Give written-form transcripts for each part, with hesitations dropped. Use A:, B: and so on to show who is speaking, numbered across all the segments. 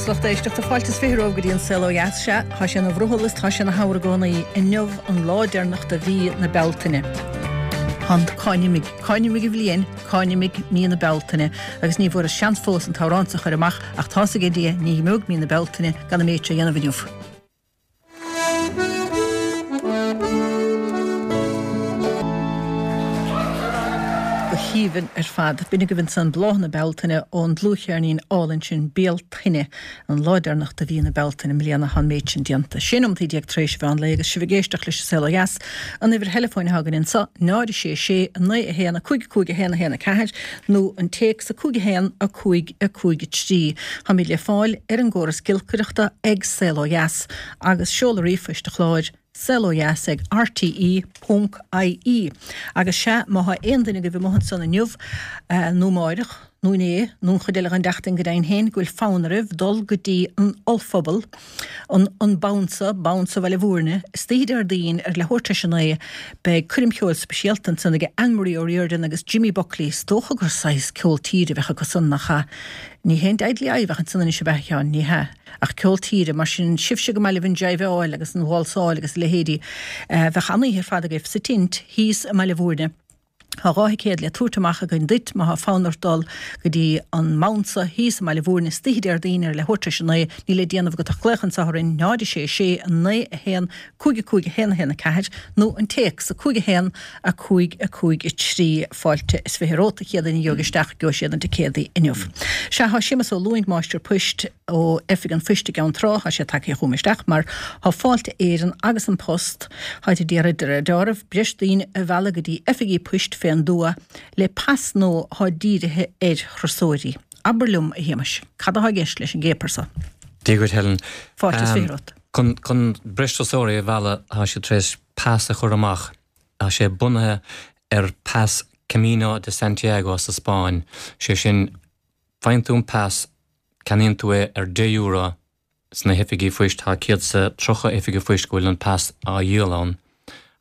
A: Agus lucht éisteachta, fáilte is 20 romhaibh go dtí an Saol Ó Dheas. Sea, tá sé ina bhrothall is tá sé ina shamhradh i gcónaí. Inniu an lá deireanach de mhí na Bealtaine. Cá n-imigh, cá n-imigh an bhliain, cá n-imigh mí na Bealtaine? Agus ní bhfuaireas seans fós an t-amhrán so a chur amach ach tá's aige Dia ní himeoidh mí na Bealtaine gan an méid seo a dhéanamh inniu. Go haoibhinn ar fad. B'in agaibh ansan Bláthanna Bealtaine ón dlúthcheirnín álainn sin Bealtaine, an lá deireanach de mhí na Bealtaine i mbliana tá an méid sin déanta. 16 nóimeataí tar éis an mheán lae agus sibh ag éisteacht leis an Saol Ó Dheas. An uimhir theileafóin atá againn anso, 0 6 6 9 1 5 5 1 1 4 nó an téacs 5 1 5 5 3. Táimid le fáil ar an gcóras giolcaireachta ag Saol Ó Dheas agus seoladh ríomhphoist an chláir, saolodheas ag rte ponc ie. Agus sea, má thá aon duine agaibh amuigh ansan inniu, nó amáireach, nó inné, nó an chuid eile den tseachtain go deimhin féin, go bhfuil fonn oraibh dul go dtí an ollphuball, an an Bounsa, Bounsa Bhaile Bhúirne, istoíche Déardaoin ar leathuair tar éis a 9, beidh coirm cheoil speisialta ansan ag Anne Marie O'Riordan agus Jimmy Buckley, is dócha gur saghas ceol tíre a bheadh acu san, nach ea? Ní hé an Deadly Eye a bheadh ansan anois ab ea, a Sheáin? Ní hea. Ach ceol tíre, mar sin, sibhse go maith libh an jiveáil agus an válsáil agus a leithéidí, bheadh an-oíche ar fad agaibh sa tint thíos i mBaile Bhúirne. Tá 2 thicéad le tabhairt amach againn duit má thá fonn ort dul go dtí an mBounsa thíos i mBaile Bhúirne istoíche Déardaoin ar leathuair tar éis a 9. Níl le déanamh agat ach glaoch anso orainn 0 6 6 9 1 5 5 1 1 4 nó an téacs 5 1 5 5 3. Fáilte is 20 romhat, a chéad duine a gheobhaidh isteach, gheobhaidh siad na ticéadaí inniu. Sea, thá Séamus Ó Lúing, máistir poist ó Oifig an Phoist i gCeann Trá, thá sé tagtha chugam isteach mar thá Fáilte Éireann agus An Post, tháid ag iarraidh de réir deáraimh, breis daoine a mhealladh go dtí oifigí poist fén dtuath le pas nua thá dírithe ar thurasóirí. Abair liom, a Shéamais, cad athá i gceist leis an gcéapar so?
B: Dia dhuit, Helen.
A: Fáilte is 20 romhat.
B: Chun, chun breis turasóirí a mhealladh, thá siad tar éis pas a chur amach. Tá sé bunaithe ar pas Camino de Santiago sa Spáinn, sé sin, faigheann tú an pas, ceannaíonn tú é ar 10 euro sna hoifigí phoist, tá 130 oifige phoist go bhfuil an pas á dhíol ann,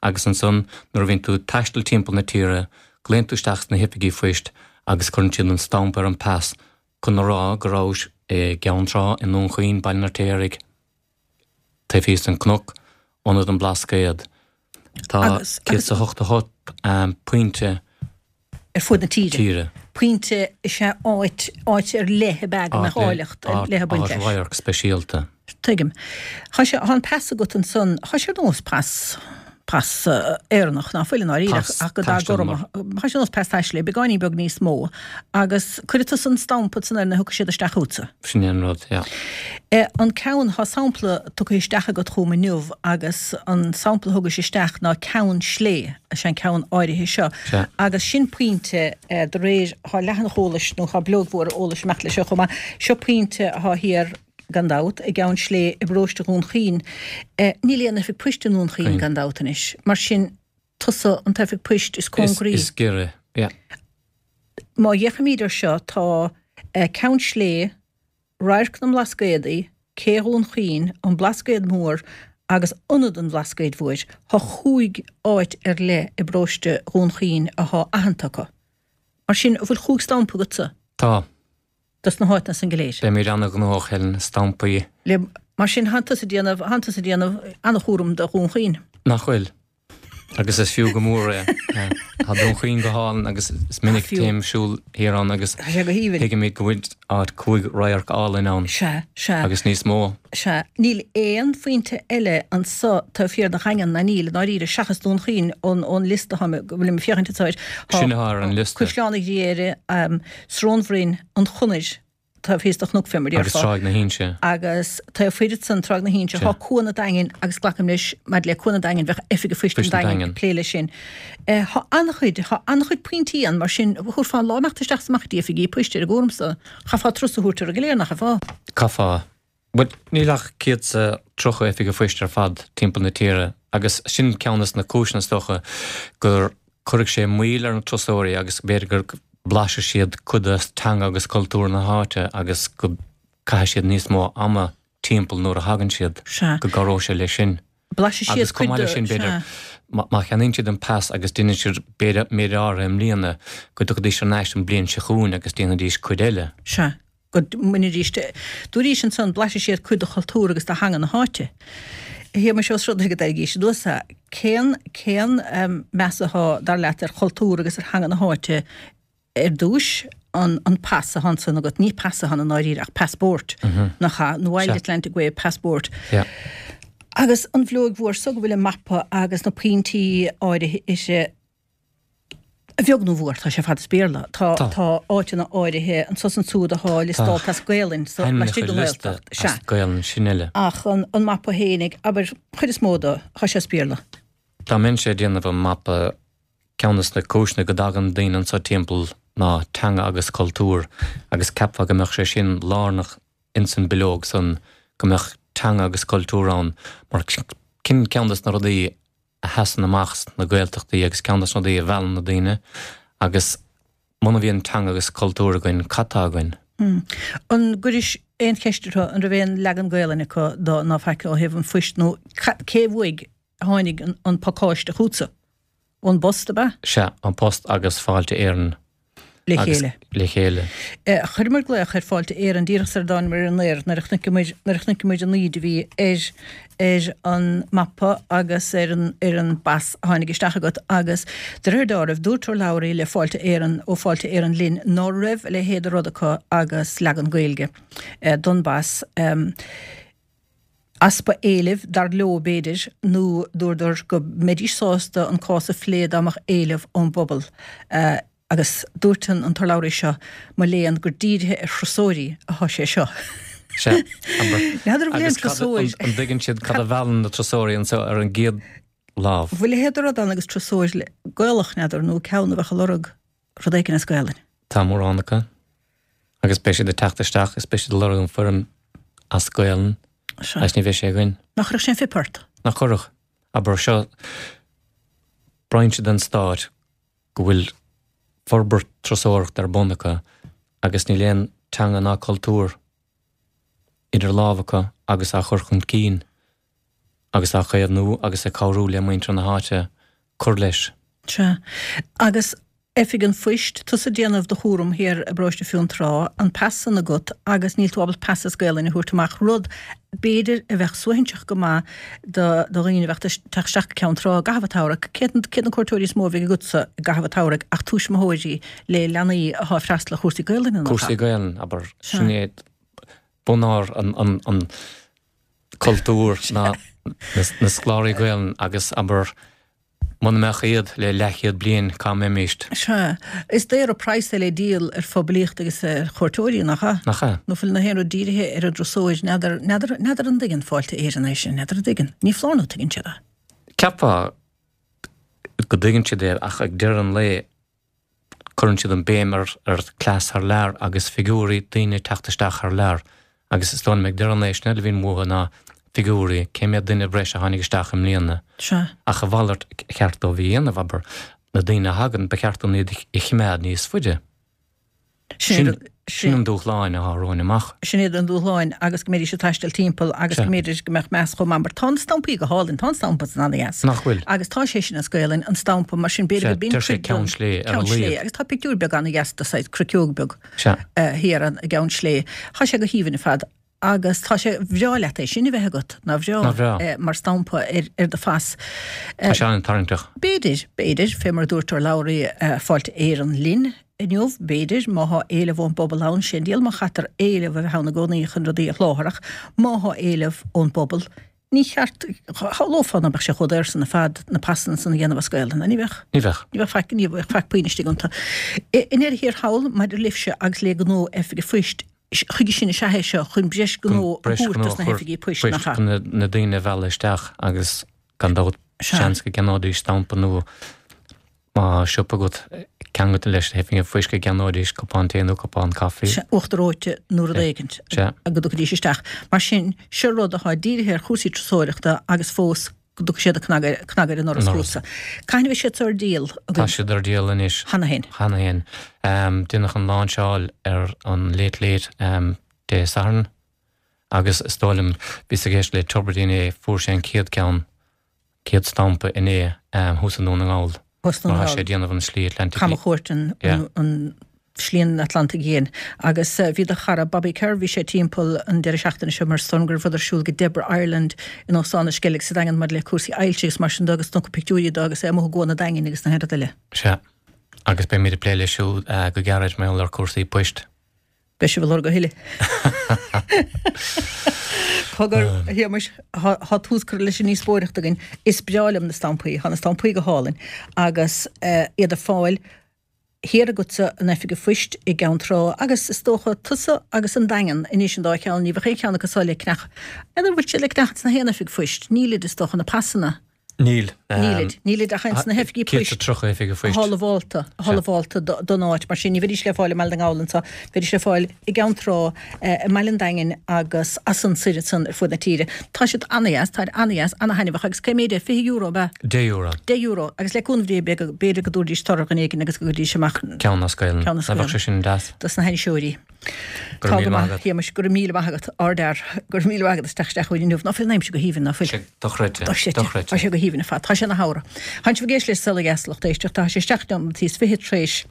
B: agus ansan nuair a bhíonn tú ag taisteal timpeall na tíre, glaonn tú isteach sna hoifigí phoist agus cuireann siad an stampa ar an pas chun a rá go rabhais i gCeann Trá, i nDún Chaoin, Baile an Fheirtéaraigh. Taobh thíos den cnoc, Ionad an Bhlascaod. Tá 188 pointe
A: ar fud na tíre. tíre. Pointe is ea áit, áit ar leith ab ea go mbeadh áilleacht ar leith ag baint
B: leis. Áit radharc speisialta.
A: Tuigim. Tá sé, tá an pas agat ansan, tá sé ar nós pas, pas Éireannach, ná fuil i ndáiríre, ach go dath gorm, tá sé ar nós pas taistil, é beagáinín beag níos mó, agus cuirfidh tusa an stampa ansan air nuair a thiocfaidh siad isteach chugatsa.
B: Sin é an rud, yeah.
A: An ceann, tá sampla tugtha isteach agat chugam inniu agus an sampla a thugais isteach ná Ceann Slé, is é an ceann áirithe seo.
B: Sea.
A: Agus sin pointe, de réir, tá leathanach eolais nó tá bileog mhór eolais ag imeacht leis seo chomh maith, seo pointe atá thiar, gan dabht, i gCeann Slé i bparóiste Dhún Chaoin. Níl aon oifig poist i nDún Chaoin, gan dabht anois. Mar sin, tusa an t-oifig poist is cóngaraí.
B: Is giorra, yeah.
A: Má fhéachaimid ar seo, tá Ceann Slé, Radharc na mBlascaodaí, Cé Dhún Chaoin, An Blascaod Mór agus Ionad an Bhlascaoid Mhóir. Tá chúig áit ar leith i bparóiste Dhún Chaoin athá aitheanta acu. Mar sin, an bhfuil chúig stampa agatsa?
B: Tá.
A: Dos na háiteanna san go léir.
B: Beimid ana-ghnóthach, Helen, stampaí.
A: Le, mar sin, thánn tusa ag déanamh, thánn tusa ag déanamh ana-chúram do Dhún Chaoin.
B: Nach bhfuil? Agus is fiú go mór é. Tá Dún Chaoin go hálainn agus is minic a théim siúl thiar ann agus
A: Tá sé go haoibhinn.
B: tuigimid go bhfuil áit 5 radharc álainn ann.
A: Sea, sea.
B: Agus níos mó.
A: Sea. Níl aon phointe eile anso taobh thiar de Dhaingean ná níl, i ndáiríre, seachas Dún Chaoin ón, ón liosta atá mé, go bhfuilim ag féachaint anso air.
B: Tá Sin atá ar an liosta.
A: Caisleán an Ghriaire, Srón Bhroin, An Chonair, taobh thíos de Chnoc fé mar a
B: Agus
A: déarfá.
B: Tráigh na hInse.
A: Agus taobh thoir ansan, Tráigh na hInse, tá Cuan an Daingin agus glacaim leis maidir le Cuan an Daingin bheadh Oifig an Phoist an Daingin ag plé leis sin. Tá an-chuid, tá an-chuid pointí ann mar sin thabharfá an lá imeacht isteach is amach go dtí oifigí poist ar an gcúram so. Chaithfeá turas a thabhairt orthu go léir, nach chaithfeá?
B: Chaithfeá. Bhuel, níl ach 130 oifig an phoist ar fad timpeall na tíre agus sin ceann des na cúiseanna is dócha gur cuirfidh sé moill ar na turasóirí agus b'fhéidir go mblaisfidh siad cuid de teanga agus cultúr na háite agus go gcaithfidh siad níos mó ama timpeall nuair a thagann siad,
A: Sea.
B: go gcabhróidh sé leis sin.
A: Blaisfidh siad
B: Agus chomh
A: cuid
B: maith
A: de,
B: leis sin, b'fhéidir,
A: sea.
B: má cheannaíonn siad an pas agus déanann siad b'fhéidir méid áirithe i mbliana, go dtiocfaidís thar n-ais an bhliain seo chugainn agus déanfaidís cuid eile.
A: Sea. Go mbainfidís, dúraís ansan, blaisfidh siad cuid de chultúr agus de theanga na háite. A Shéamais, ós rud é go dtairgís anuas é, cén, cén meas athá, dar leat, ar chultúr agus ar theanga na háite ar dtúis, an, an pas athá ansan agat, ní pas athá ann i ndáiríre ach passport, nach ea, an Wild Atlantic Way Passport. Agus an bhileog mhór so go bhfuil an mapa agus na pointí áirithe uirthi, A bheag nó a mhór, tá sé ar fad as Béarla. Tá tá áiteanna áirithe anso is ansúd athá liostálta as Gaelainn sa laistigh den Ghaeltacht. Sea.
B: As Gaelainn, sin uile.
A: Ach an an mapa fhéinig, abair, chuid is mó de, tá sé as Béarla.
B: Dá mbeinnse ag déanamh an mapa, ceann des na cúiseanna go dtagann daoine anso timpeall ná teanga agus cultúr agus cheapfá go mbeadh sé sin lárnach ins an bileog san, go mbeadh teanga agus cultúr ann mar sin ceann des na rudaí a sheasann amach sna Gaeltachtaí agus ceann des na rudaí a mheallann na daoine agus muna bhíonn teanga agus cultúr againn, cad tá againn?
A: An gcuiris aon cheist orthu an raibh aon leagan Gaelainne acu do ná faic ó thaobh an phoist nó cé uaidh a tháinig an pacáiste chugatsa? Ón bPost, ab ea?
B: Sea, An Post agus Fáilte Éireann.
A: Le chéile.
B: Le chéile.
A: Chuireamar glaoch ar Fáilte Éireann díreach sar a dtánamar ar an aer nuair a chonaiceamar, nuair a chonaiceamar an íde a bhí ar, ar an mapa agus ar an, ar an bpas a tháinig isteach agat agus de réir dealraimh dúirt urlabhraí le Fáilte Éireann, ó Fáilte Éireann linn ná raibh a leithéid de rud acu agus leagan Gaeilge don bpas. Easpa éilimh, dar leo, b'fhéidir, nó dúradar go mbeidís sásta an cás a phlé dá mbeadh éileamh ón bpobal. Agus dúirt an t-urlabhraí seo, mo léan, gur dírithe ar thurasóirí atá sé seo.
B: Sea, abair.
A: N'fheadar an bhfuil aon
B: Agus cad,
A: turasóir.
B: an dtuigeann siad cad a mheallann na turasóirí anseo ar an gcéad lámh?
A: Bhfuil a leithéid de rud ann agus turasóir Gaelach, n'fheadar, nó ceann a bheadh ag lorg rud éigin as Gaelainn?
B: Tá mórán acu. Agus beidh siad ag teacht isteach is beidh siad ag lorg an foirm as Gaelainn agus ní bheidh sé againn.
A: Nach gcuirfeadh sé an phip ort?
B: Nach gcuirfeadh. Abair, seo brainse den stát go bhfuil forbairt turasóireachta ar bun acu agus níl aon teanga ná cultúr idir lámha acu agus á chur chun cinn agus á chaomhnú agus ag cabhrú le muintir na háite cur leis.
A: Sea. Agus Oifig an Phoist, tusa ag déanamh do chúram thiar i bparóiste Fionntrá, an pas san agat agus níl tú ábalta pas as Gaelainn a thabhairt amach, rud, b'fhéidir, a bheadh suaithinseach go maith do dhaoine a bheadh ag teacht isteach go Ceann Trá i gcaitheamh an tsamhraidh. Céard iad na cuairteoirí is mó a bheidh agatsa i gcaitheamh an tsamhraidh ach tuismitheoirí le leanaí atá ag freastal ar chúrsaí Gaelainne,
B: nach ea? Cúrsaí Gaelainne, abair. Sin é bunár an cultúr ná na scoláirí Gaelainne agus, abair, Muna mbeadh iad le leathchéad bliain cá mbeimíst?
A: Sea. Is daor an praghas é le díol ar phoiblíocht agus ar chuairteoirí, nach ea?
B: Nach ea?
A: Nó fuil nach aon rud dírithe ar an dturasóir, n'fheadar, n'fheadar, n'fheadar an dtuigeann Fáilte Éireann é sin, n'fheadar an dtuigeann. Ní foláir nó tuigeann siad é.
B: Cheapfá go dtuigeann siad é ach ag deireadh an lae, Cuireann siad an béim ar cleas thar lear agus figiúirí, daoine ag teacht isteach thar lear. Agus is dóigh liom ag deireadh an lae sin a bhíonn uathu ná figiúirí, cé mhéad duine breise a tháinig isteach i mbliana.
A: Sea.
B: Ach a mhalairt a cheart dóibh a dhéanamh, abair, na daoine a thagann, ba cheart dúinn iad a chimeád níos faide.
A: Sin
B: Sin an dúshláin atá romhainn amach.
A: Sin iad an dúshláin agus go mbeidís ag taisteal timpeall agus go mb'fhéidir go mbeadh meas chomh maith mar tá na stampaí go hálainn, tá an stampa san ana-dheas.
B: Nach bhfuil?
A: Agus tá sé sin as Gaelainn, an stampa, mar sin b'fhéidir go b'in
B: Deir sé
A: cuid den
B: Ceann Slé ar a
A: Ceann Slé
B: laghad.
A: agus tá pictiúr beag ana-dheas de saghas cruiceog beag
B: Sea.
A: thiar i gCeann Slé. Tá sé go haoibhinn ar fad. Agus tá sé, bhreá leat é sin a bheith agat, nár bhreá?
B: Nár bhreá?
A: Mar stampa ar, ar do phas.
B: Tá sé an-tarraingteach.
A: B'fhéidir, b'fhéidir, fé mar a dúirt urlabhraí Fáilte Éireann linn inniu, b'fhéidir, má thá éileamh ón bpobal ann, sé an diabhal má chaitear éileamh a bheith ann i gcónaí chun rudaí a sholáthar ach má thá éileamh ón bpobal, ní cheart, shamhlófá ná beadh sé chomh daor san ar fad na pasanna san a dhéanamh as Gaelainn, ní bheadh?
B: Ní bheadh.
A: Ní bheadh faic, ní bheadh faic puinn istigh iontu. I ndeireadh thiar thall, maidir libhse agus le gnó Oifig an Phoist, chuige sin is ea é seo, chun breis gnó a thabhairt dos na hoifigí poist, nach ea?
B: Chun na daoine a mhealladh isteach agus gan dabht seans go gceannóidís stampa nó má tá siopa agat ceangailte leis na hoifigí poist go gceannóidís cupán tae nó cupán caife.
A: Sea, uachtar reoite nó rud éigint go dtiocfaidís isteach. Mar sin, seo rud atá dírithe ar chúrsaí turasóireachta agus fós go dtiocfaidh siad ag cnagadh ar an ndoras chugatsa. Cathain a bheidh siad seo ar díol
B: agaibh? Tá siad ar díol anois.
A: Cheana féin?
B: Cheana féin. Deineadh an láinseáil ar an Late Late Dé Sathairn agus is dóigh liom, bhíos ag éisteacht le Tubridy inné, fuair sé an chéad ceann, chéad stampa inné thuas i nDún na nGall.
A: Thuas i nDún na
B: nGall. Mar tá sé ag déanamh an slí Atlantic.
A: Camchuairt an. Slí an Atlantaigh Fhiáin. Agus bhí do chara Bobby Kerr, bhí sé timpeall an deireadh seachtaine seo mar is dóigh liom go raibh rud ar siúl ag Deborah Ireland in Óstán na Sceilg sa Daingean maidir le cúrsaí ailse agus mar sin de agus tugtha pictiúirí dó agus é amuigh i gCuan an Daingin agus na haon rud eile.
B: Sea. Agus beimid ag plé leis siúd go gairid mar gheall ar cúrsaí poist.
A: Beidh sibh ag lorg a thuilleadh. Cogar, a Shéamais, tá tús curtha leis an ndíospóireacht againn. Is breá liom na stampaí. Tá na stampaí go hálainn agus iad ar fáil thiar agatsa in Oifig an Phoist i gCeann Trá agus is dócha tusa agus an Daingean anois an dá cheann, ní bheadh aon cheann acu so le ceannach, n'fheadar an bhfuil siad le ceannach ins na haon oifig phoist, nílid is dócha, na pasanna.
B: Níl.
A: Nílid. Nílid ach ins na hoifigí poist.
B: 130 oifig an phoist.
A: Atá lamhálta, atá lamhálta don áit. Mar sin, ní bheidís le fáil i mBaile na nGall anso, bheidís le fáil i gCeann Trá, i mBaile an Daingin agus as san soir ansan ar fuaid na tíre. Tá siad ana-dheas, táid ana-dheas, ana-thaitneamhach agus cé méid é? €20 ab ea?
B: €10.
A: €10 agus le cúnamh Dé b'fhéidir go dtabharfaidís toradh ar dhuine éigin agus go gcuirfidís amach
B: Ceann as Gaelainn. Ceann as Gaelainn. Bheadh sé sin deas.
A: Dos na hainniseoirí.
B: Go raibh míle maith agat.
A: A Shéamais, go raibh míle maith agat, ardfhear. Go raibh míle maith agat as teacht isteach chugainn inniu. Ná fuil an aimsir go haoibhinn, ná fuil?
B: Sé dochreidte.
A: Dochreidte.
B: Dochreidte.
A: Tá sé go haoibhinn ar fad. Tá sé ina shamhradh. Tánn sibh ag éisteacht le Saol Ó Dheas, lucht éisteachta. Tá sé seacht nóimeataí is fichead tar éis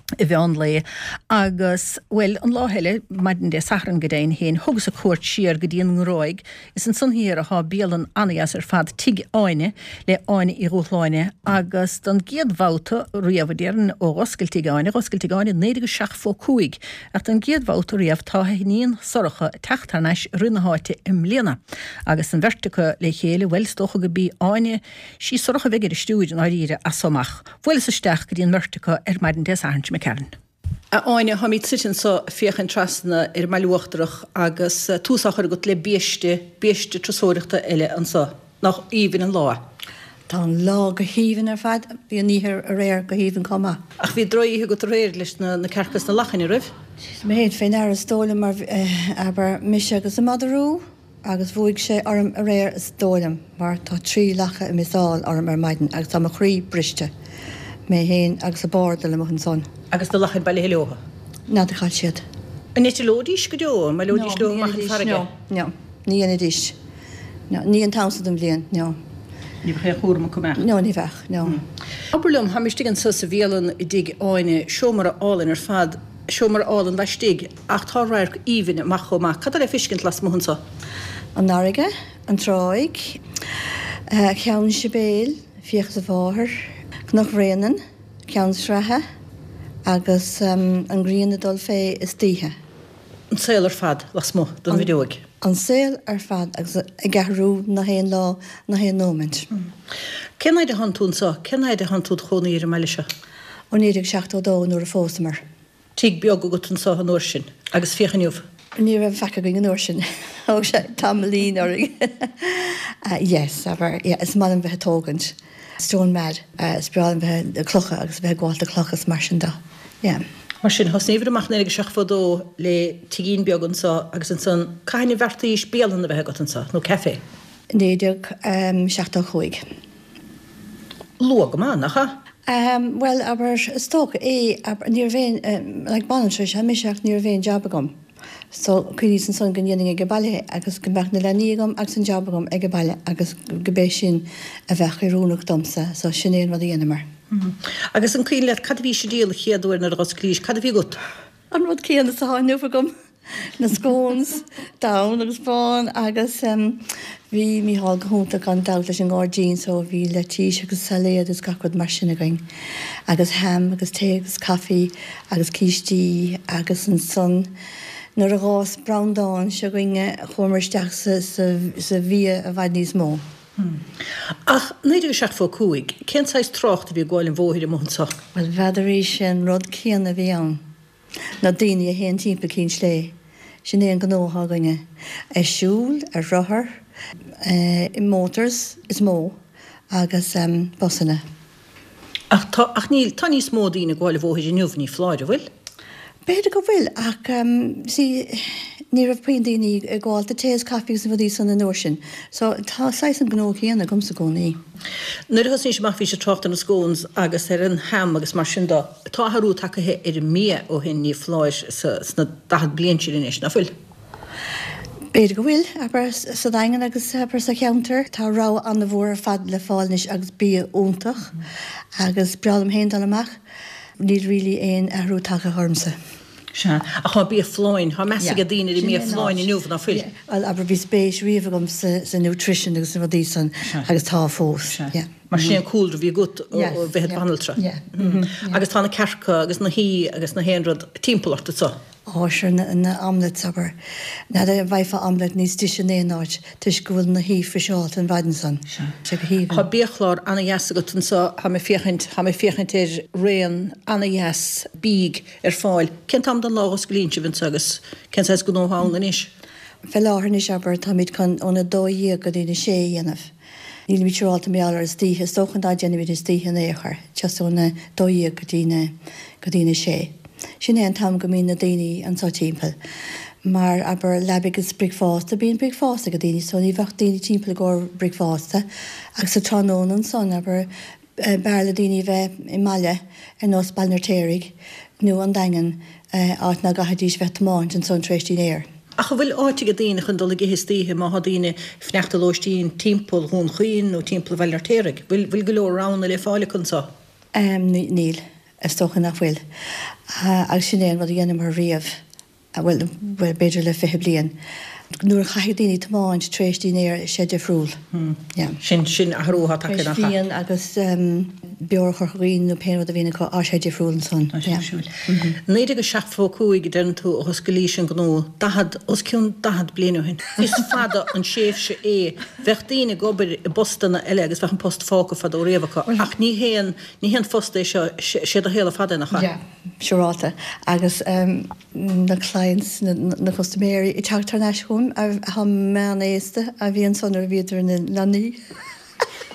A: an mheán lae agus, bhuel, an lá eile, maidin Dé Sathairn go deimhin féin, thugas-sa cuairt siar go dtí an nGráig. Is ansan thiar athá bialann ana-dheas ar fad, Tigh Áine, le Áine Uí Dhúshláine agus don gcéad bhabhta riamh, a déarfainn, ó dh'oscail Tigh Áine, dh'oscail Tigh Áine i 1975, ach don gcéad bhabhta riamh tá a hiníon Sorcha ag teacht thar n-ais ag rith na háite i mbliana agus an bheirt acu le chéile, bhuel, is dócha go b'í Áine, sí Sorcha a bheidh ar an stiúir i ndáiríre as so amach. Bhuaileas isteach go dtí an mbeirt acu ar maidin Dé Sathairn seo imigh tharainn. A Áine, táimid suite anso ag féachaint trasna ar an mBaile Uachtarach agus tús á chur agat le biaiste, biaiste turasóireachta eile anso. Nach aoibhinn an lá é?
C: Tá an lá go haoibhinn ar fad. Bhí an oíche aréir go haoibhinn chomh maith.
A: Ach bhí drochoíche agat aréir leis na cearca is na lachain, an raibh?
C: Mé féin fé ndeara is dóigh liom mar, abair, mise agus an madra rua. Agus bhuaigh sé orm aréir is dóigh liom, mar tá 3 lacha ag missáil orm ar maidin agus tá mo chroí briste. Mé fhéin agus an bard amuigh ansan.
A: Agus na lachain bailithe leotha?
C: N'fheadar cá bhfuil siad.
A: An eitleoidís go deo? An mbaileoidís leo amach an farraige?
C: No, no, ní dhéanfaidís. No, ní an t-am so den bhliain, no.
A: Ní bheadh aon chúram acu, an mbeadh?
C: No, ní bheadh, no.
A: Abair liom, táim istigh anso sa bhialann i dTigh Áine, seomra álainn ar fad, seomra álainn laistigh, Ach tá radharc aoibhinn amach chomh maith. Cad tá le feiscint lasmuigh anso?
C: An fharraige, an tráigh, Ceann Sibéal, Fiachas a Mháthair, Cnoc Bhréanainn, Ceann Sraithe agus an ghrian ag dul fé istoíche.
A: An saol ar fad lasmuigh den bhfuinneoig.
C: An saol ar fad agus ag athrú na haon lá, na haon nóimint.
A: Cén fhaid a thánn tú anso? Cén fhaid a thánn tú 'd chónaí ar an mbaile seo?
C: Ó 1972 nuair a phósamar.
A: Tigh beag agat anso an uair sin, agus féach inniu.
C: Ní raibh faic againn an uair sin. Thóg sé tamaillín orainn. Yes, abair, yeah, is maith liom bheith ag tógaint. Stone mad. Is breá liom bheith ag clocha agus bheith ag gabháil do clocha is mar sin de. Yeah.
A: Mar sin, thosnaíobhair amach 1972 le tigín beag anso agus ansan, cathain a bheartaís bialann a bheith agat anso, nó café?
C: 1975.
A: Luath go maith, nach ea?
C: Bhuel, abair, is dócha é, abair, ní raibh aon, like, banaltra is ea mise ach ní raibh aon jab agam. So, cuimhníos ansan go ndéanfainn ag baile é agus go mbeadh na leanaí agam agus an jab agam ag baile agus go b'é sin a bheadh oiriúnach domsa. So, sin é an rud a dheineamar.
A: Agus an cuimhin leat cad a bhís ag díol an chéad uair nuair a dh'osclaís, cad a bhí agat?
C: An rud céanna is atá inniu agam, na scones, donn agus bán agus bhí Mícheál go hiontach gan dabht leis an ngairdín so bhí leitís agus sailéad agus gach rud mar sin againn agus ham agus tae agus caife agus cístí agus ansan nuair a dh'fhás Breandán s'againne chuamar isteach sa bhia i bhfad níos mó.
A: Ach 1975, cén saghas trácht a bhí ag gabháil an bhóthair amuigh anso?
C: Bhuel, n'fheadar, sé an rud céanna a bhí ann. Na daoine a théann timpeall Cinn Slé, sin é an gnó atá againne. Ag siúl, ar rothar, i motors is mó agus busanna.
A: Ach tá, ach níl, tá níos mó daoine ag gabháil an bhóthair inniu, ní foláir, an bhfuil?
C: B'fhéidir go bhfuil, ach see, ní raibh puinn daoine ag gabháil do tae is caife agus na rudaí san an uair sin. So tá saghas an gnó céanna agamsa i gcónaí.
A: Nuair a thosnaís amach bhís ag trácht ar na scones agus ar an ham agus mar sin de. Tá athrú tagaithe ar an mbia ó shin, ní foláir, sna 40 bliain sin anois, ná fuil?
C: B'fhéidir go bhfuil, abair, sa Daingean agus, abair, sa cheantar. Tá rogha an-mhór ar fad le fáil anois agus bia iontach agus breá liom féin dul amach. Níl really aon athrú tagtha ormsa.
A: Sea. Ach tá bia folláin, tá meas ag daoine ar an mbia folláin inniu, ná fuil?
C: Bhuel, abair, bhí spéis riamh agam sa nutrition agus na rudaí san agus tá fós.
A: Sea. Mar sin é an cúlra a bhí agat ó bheith i do bhanaltra. Agus tá na cearca agus na haoi agus na haon rud timpeall ort anso.
C: Á, sure, na omelettes, abair. N'fheadar an bhfaighfeá omelette níos deise in aon áit toisc go bhfuil na haoi friseáilte an mhaidin san.
A: Sea. Sé go haoibhinn. Tá biachlár ana-dheas agat anso, tá mé féachaint, tá mé féachaint ar raon ana-dheas bídh ar fáil. Cén t-am den lá a osclaíonn sibh anso agus cén saghas gnó atá ann anois?
C: Fé láthair anois, abair, táimid chun óna 12 go dtí na sé a dhéanamh. Nílimid siúráilte mar gheall ar istoíche, is dócha ná déanfaimid istoíche in aon chor, just óna 12 go dtí na, go dtí na sé. Sin é an t-am go mbíonn na daoine anso timpeall. Mar, abair, leabaidh agus bricfeasta, bíonn bricfeasta ag daoine so ní bheadh daoine timpeall i gcomhair bricfeasta agus sa tráthnóna ansan, abair, B'fhearr le daoine a bheith i mbaile ar nós Baile an Fheirtéaraigh nó an Daingean, áit ná gcaithfidís bheith ag tiomáint ansan tar éis dinnéir.
A: Ach an bhfuil áit ag daoine chun dul ag ithe istoíche má thá daoine ag fanacht i lóistín timpeall Dhún Chaoin nó timpeall Bhaile an Fheirtéaraigh? Bhfuil bhfuil go leor roghanna le fáil acu anso?
C: Níl. Is dócha nach bhfuil. Agus sin é an rud a dheineamar riamh. bhuel, b'fhéidir le 20 bliain, nuair a chaithfidh daoine tiomáint tar éis dinnéir, sé difriúil.
A: Yeah. Sin, sin athrú atá tagtha
C: nach ea? Fíon agus beoir a chur chugainn nó pé rud a bhíonn acu, á sé difriúil ansan.
A: Tá sé difriúil. 1975 a deireann tú a dh'osclaís an gnó, 40, os cionn 40 bliain ó shin. Is fada an tréimhse é. Bheadh daoine ag obair i bpostanna eile agus bheadh an post fágtha fadó riamh acu ach ní haon, ní haon phost é seo, sé do shaol ar fad é nach
C: ea? Yeah. Siúráilte. Agus na clients, na custaiméirí ag teacht thar n-ais chugam atá meánaosta a bhí ansan nuair a bhíodar ina leanaí.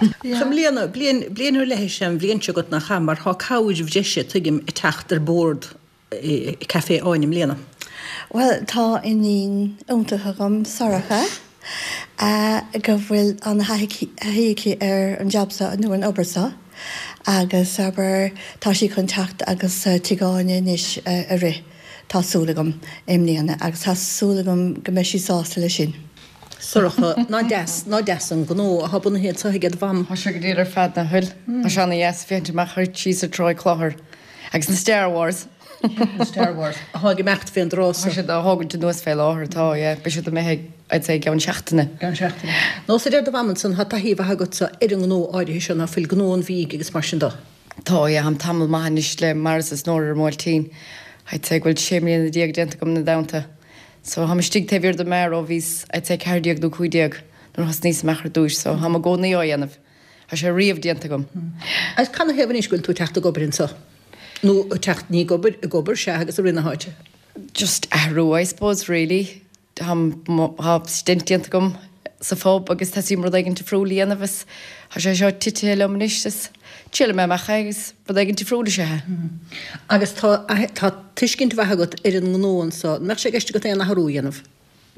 A: I mbliana, bliain, bliain ar leith is ea an bhliain seo agat nach ea, mar tá cabhair bhreise, tuigim, ag teacht ar bord i Café Áine i mbliana.
C: Bhuel, tá iníon iontach agam, Sorcha, go bhfuil an-thaithí aici ar an jab seo, nó an obair seo, agus, abair, tá sí chun teacht agus Tigh Áine anois a rith, tá súil agam, i mbliana, agus tá súil agam go mbeidh sí sásta leis sin.
A: Sorcha, Nach deas, nach deas an gnó atá bunaithe anseo ag do mham.
D: Tá sé go diail ar fad, nach bhfuil? Tá sé ana-dheas féachaint amach ar síos ar Tráigh Chlochair agus na Star Wars.
A: Na Star Wars. Atá ag imeacht fén dtrá
D: so. Tá siad á thógaint anuas fé láthair, tá, yeah. Beidh siad imithe, I'd say, i gceann seachtaine.
A: Gceann seachtaine. Nós a deir do mham ansan, tá taithí mhaith agatsa ar an ngnó áirithe seo, ná fuil, gnó an bhídh agus mar sin de.
D: Tá, yeah, táim tamall maith anois le Maurice is Nóra ar an mBuailtín. I'd say go bhfuil 16 mbliana déanta agam ina dteannta. So, táim istigh taobh thiar de m'fhear ó bhíos, I'd say, 14 nó 15 nuair a thosnaíos amach ar dtúis, so táim i gcónaí á dhéanamh. Tá sé riamh déanta agam.
A: Agus canathaobh anois go bhfuil tú ag teacht ag obair anso? Nó ag teacht, ní ag obair, ag obair, sea, agus ag rith na háite?
D: Just athrú, I suppose, really. Tá, tá stint déanta agam sa phub agus teastaíonn rud éigin difriúil a dhéanamh is tá sé seo titithe liom anois is triailfidh mé amach é agus rud éigin difriúil is ea é.
A: Agus tá, tá tuiscint mhaith agat ar an ngnó anso. An mbeadh sé i gceist agat aon athrú a dhéanamh?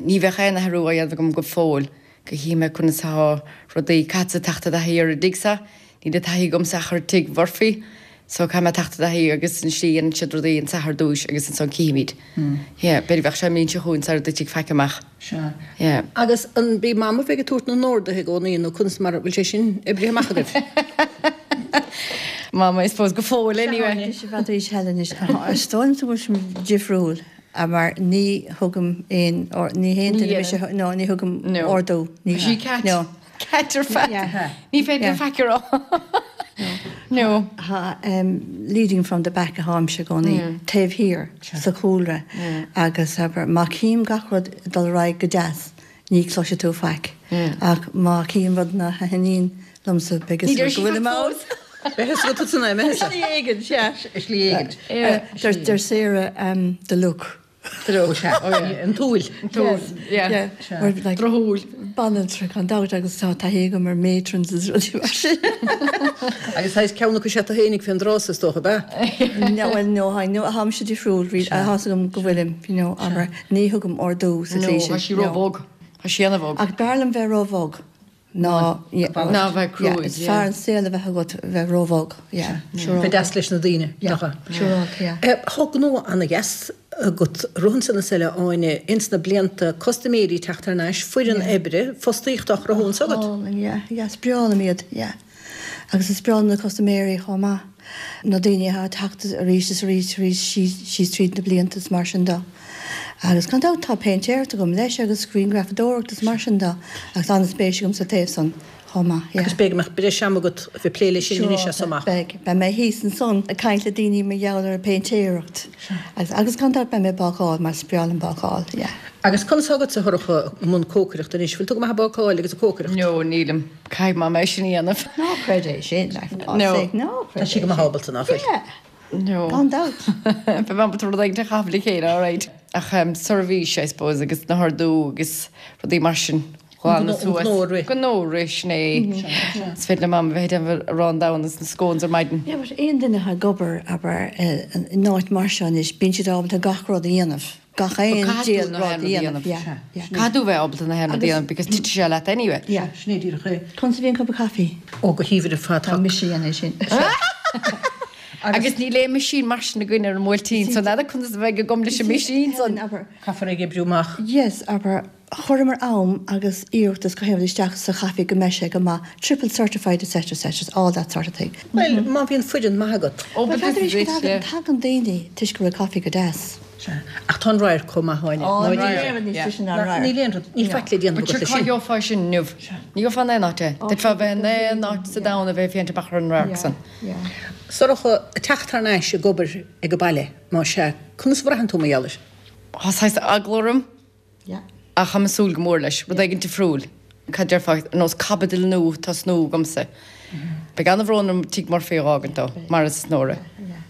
D: Ní bheadh aon athrú á dhéanamh agam go fóill, go gcífidh mé conas atá rudaí. Caithfeadsa teacht i dtaithí ar an dtigh seo, níl taithí agamsa ach ar tigh Mhurphy, so caithfidh mé teacht i dtaithí agus an slí a dhéanann siad rudaí anseo ar dtúis agus ansan cífimid. Yeah, b'fhéidir bheadh sé an mbliain seo chugainn sara dtitfidh faic amach.
A: Sea.
D: Yeah.
A: Agus an bí Mam a bheidh ag tabhairt na n-orduithe i gcónaí nó conas mar a bhfuil sé sin oibrithe amach agaibh?
D: Mama, I suppose, go fóill anyway.
C: Anois, i bhfad arís eile anois. Is dóigh liom go bhfuil sé difriúil. Mar ní thugaim aon, ní haon duine mise, no, ní thugaim ordú.
D: Ní sí cat. No. Cat ar fad. Ní féidir faic a rá.
C: No. Tá leading from the back atháimse i gcónaí, taobh thiar, sa chúlra agus abair má chím gach rud ag dul ar aghaidh go deas, ní chloisfidh tú faic. Ach má chím rud nach thaitníonn liomsa, beidh
D: fhios agat go bhfuilim ann.
A: Beidh fhios agat tusa ná
C: mé. Slí éigin, sea.
A: Slí éigin.
C: Deir Sarah, the look.
A: The look, sea. An tsúil.
D: An tsúil, yeah.
C: Drochshúil. Banaltra gan dabht agus tá taithí agam ar matrons is rudaí mar sin.
A: Agus saghas ceann acu is ea tú fhéinig fén dtrá so is dócha, ab
C: ea? No, well, no, no, tháimse difriúil, really, tá fhios agam go bhfuilim, you know, abair, ní thugaim ordú sa tslí
D: sin. No, tá sí ró-bhog. Tá sí ana-bhog.
C: Ach b'fhearr liom bheith ró-bhog ná,
D: ná bheith cruaidh,
C: is fearr an saol a bheith agat bheith ró-bhog, yeah,
A: siúráilte. Bheith deas leis na daoine, nach
C: ea? Siúráilte, yeah.
A: Tá gnó ana-dheas agat rith ansan is eile, Áine, ins na blianta, custaiméirí ag teacht thar n-ais, foireann oibre, fostaíocht á chruthú anso agat.
C: Álainn, yeah, yeah, is breá liom iad, yeah. Agus is breá liom na custaiméirí chomh maith, na daoine atá ag teacht arís is arís arís síos tríd na blianta is mar sin de. Agus gan dabht tá péintéireacht agam leis agus grianghrafadóireacht is mar sin de agus an-spéis agam sa taobh san chomh maith, yeah.
A: Agus b'fhéidir go mbeadh breis ama agat a bheith ag plé leis sin anois as seo amach.
C: Beidh. Beidh mé thíos ansan ag caint le daoine mar gheall ar an bpéintéireacht. Agus, agus gan dabht beidh mé ag bácáil mar is breá liom bácáil, yeah.
A: Agus conas atá agatsa, a Shorcha, i mbun cócaireachta anois? Bhfuil tú go maith ag bácáil agus ag cócaireacht?
D: No, nílim. Caithfidh Mama é sin a dhéanamh.
C: Ná creid é sin, like, for God's sake, ná
A: creid é sin. Tá sí go maith ábalta, ná fuil?
C: Yeah.
D: No.
C: Gan dabht.
D: Beidh mé ábalta rud éigin a chaitheamh le chéile, alright. Ach seirbhís, I suppose, agus na hordú agus rudaí mar sin. Glanadh suas.
A: An gnó a rith.
D: Gnó a rith, sin é. Is féidir le Mama bheith ag déanamh arán donn agus na scones ar maidin.
C: Yeah, but aon duine atá ag obair, abair, in áit mar seo anois, bíonn siad ábalta gach rud a dhéanamh. Gach aon diabhal rud a dhéanamh. Yeah,
D: yeah. Caithfidh tú bheith ábalta na haon rud a dhéanamh because titfidh sé leat anyway.
C: Yeah.
A: Sin é díreach é.
C: Conas a bhí an cup of coffee?
A: Ó, go haoibhinn ar fad.
C: Tá mise a dhéanamh é sin.
D: Agus níl aon machine mar sin againn ar an mBuailtín, so n'fheadar conas a bheidh agam leis an machine san.
A: Caithfear é a oibriú amach.
C: Yes, abair, Chuireamar am agus iarracht is gach aon rud isteach sa chaife go mbeidh sé go maith, triple certified etc etc, all that sort of thing.
A: Bhuel, má bhíonn foireann maith agat.
D: Oh but
C: this
D: is
C: it,
D: yeah.
C: Tagann daoine toisc go bhfuil caife go deas.
A: Sea. Ach tá an radharc chomh maith, Áine.
C: Ó, níl aon rud níos deise ná an radharc.
A: Níl aon rud, níl faic le déanamh
D: agat leis
A: sin.
D: But sure cá gheofá sin inniu? Ní gheofá in aon áit é. D'fhéadfá a bheith in aon áit sa domhan a bheith ag féachaint amach ar an radharc san.
A: Sorcha, ag teacht thar n-ais ag obair ag an baile, más ea, conas a bhraitheann tú mar gheall air?
D: Tá saghas eagla orm. Ach táim ag súil go mór leis. Rud éigin difriúil. Cad déarfá, ar nós caibidil nua tosnú agamsa. Beidh ana-bhrón orm Tigh Murphy a dh'fhágaint dó, mar is Nóra.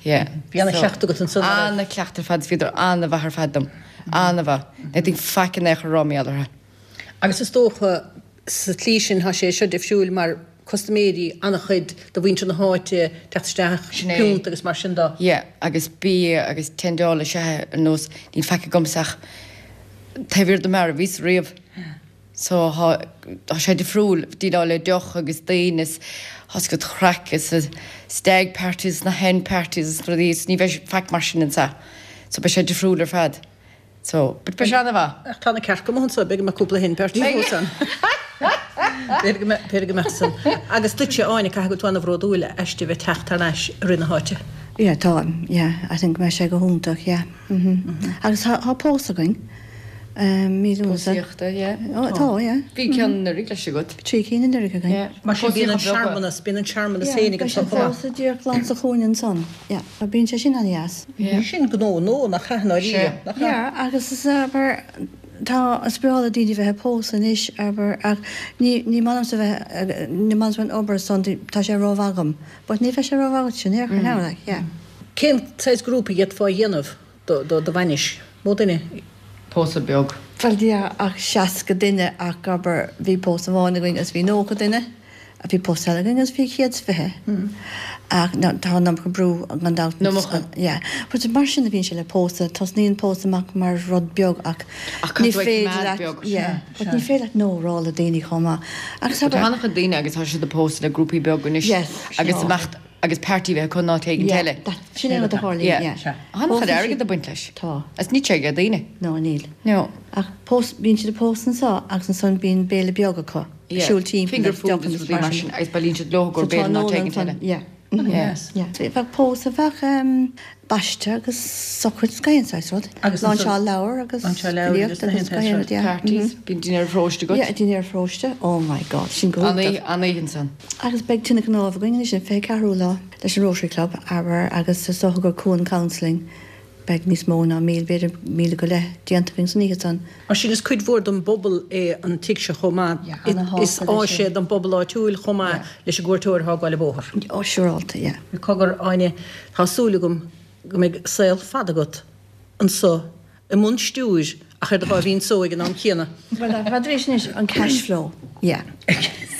D: Yeah.
A: Bhí ana-chleachtadh agat ansan,
D: nach raibh? Ana-chleachtadh ar fad, is bhíodar ana-mhaith ar fad dom. Ana-mhaith. Ní fhéadfainn faic in aon chor a rá mar gheall orthu.
A: Agus is dócha, sa tslí sin, tá sé seo difriúil mar custaiméirí, an-chuid de mhuintir na háite, teacht isteach, piúnt agus mar sin de.
D: Yeah, agus bia agus tendáil is ea ar nós, níl faic agamsa ach taobh thiar de mar a bhíos riamh. So tá, tá sé difriúil, déileáil le deoch agus daoine is tá 's agat craic is stag parties na hen parties is rudaí is ní bheidh faic mar sin anseo. So beidh sé difriúil ar fad. So, but beidh sé ana-mhaith.
A: Ach tá na cearca amuigh anso, b'fhéidir go mbeadh cúpla hen party fós ann. B'fhéidir go mbeadh, b'fhéidir go mbeadh san. Agus duitse, Áine, caithfidh go bhfuil tú ana-bhródúil aisti a bheith teacht thar n-ais ag rith na háite.
C: Yeah, táim, yeah. I think go mbeidh sé go hiontach, yeah. Mhm. Agus tá, tá pósadh againn, mí Lúnasa.
D: Pósaíochta, yeah.
C: Ó, tá, yeah.
D: Bhí ceann anuraidh leis agat.
C: Trí cinn anuraidh againn.
D: Yeah.
A: Mar sin bíonn an searmanas, bíonn an searmanas féinig
C: anso
A: chomh maith.
C: Yeah, beidh an pósadh díreach glan sa chúinne ansan. Yeah. Bíonn sé sin an-dheas.
A: Sin gnó nua, nach ea, i ndáiríre, nach ea?
C: Yeah, agus is, abair, tá, is breá le daoine bheith ag pósadh anois, abair, ach ní, ní maith liomsa bheith, ní maith liomsa bheith ag obair san, tá sé rómhaith agam. But ní bheidh sé rómhaith agat sin, ar chor now, like, yeah.
A: Cén saghas grúpa a d'fhéadfá a dhéanamh do, do, do bhainis? Mó duine?
D: Pósadh beag.
C: Bhuel, yeah, ach 60 duine ach, abair, bhí pósadh amháin againn agus bhí 90 duine. Bhí pósadh eile againn agus bhí 120. Ach tá an iomarca brú gan dabht.
D: An iomarca.
C: Yeah. But mar sin a bhíonn sé le pósadh. Tosnaíonn pósadh amach mar rud beag ach ní féidir leat, yeah, but ní féidir leat no a rá le daoine chomh maith. Agus
D: Tá an-chuid daoine agus tá siad ag pósadh le grúpaí beaga anois agus imeacht agus party a bheith acu in áit éigin eile.
C: Yeah, sin é rud a tharlaíonn, yeah.
D: Tá an-chuid airgid ag baint leis.
C: Tá.
D: Agus níl sé ag daoine.
C: No, níl.
D: No.
C: Ach pós, bíonn siad ag pósadh anseo agus ansan bíonn béile beag acu.
D: Yeah,
C: siúl timpeall
D: finger food agus rudaí mar sin agus bailíonn siad leo go béile in áit éigin eile.
C: Yeah. Yeah. Bheadh pósadh, bheadh baisteadh agus socraid is gach aon saghas rud.
A: Agus
C: Láinseáil leabhar agus
A: Láinseáil leabhar agus
C: filíocht agus gach aon rud, yeah.
D: Parties, bíonn dinnéar paróiste agat.
C: Yeah, dinnéar paróiste, oh my God, sin go hiontach.
D: An-oíche ansan.
C: Agus beidh tine cnámh againn anois an 24ú lá leis an Rotary Club, abair, agus is dócha gur Cuan Counselling Beidh níos mó ná 1,000, b'fhéidir 1,000 go leith, déanta againn san oíche san.
A: Mar sin is cuid mhór don bpobal é an tigh seo chomh maith. Is áis é don bpobal áitiúil chomh maith leis an gcuairteoir atá ag gabháil an bóthar.
C: Ó, siúrálta, yeah.
A: Cogar, Áine, tá súil agam go mbeidh saol fada agat anso i mbun stiúir ach ar do sháimhín só ag an am céanna.
C: Bhuel, n'fheadar anois an cash flow, yeah.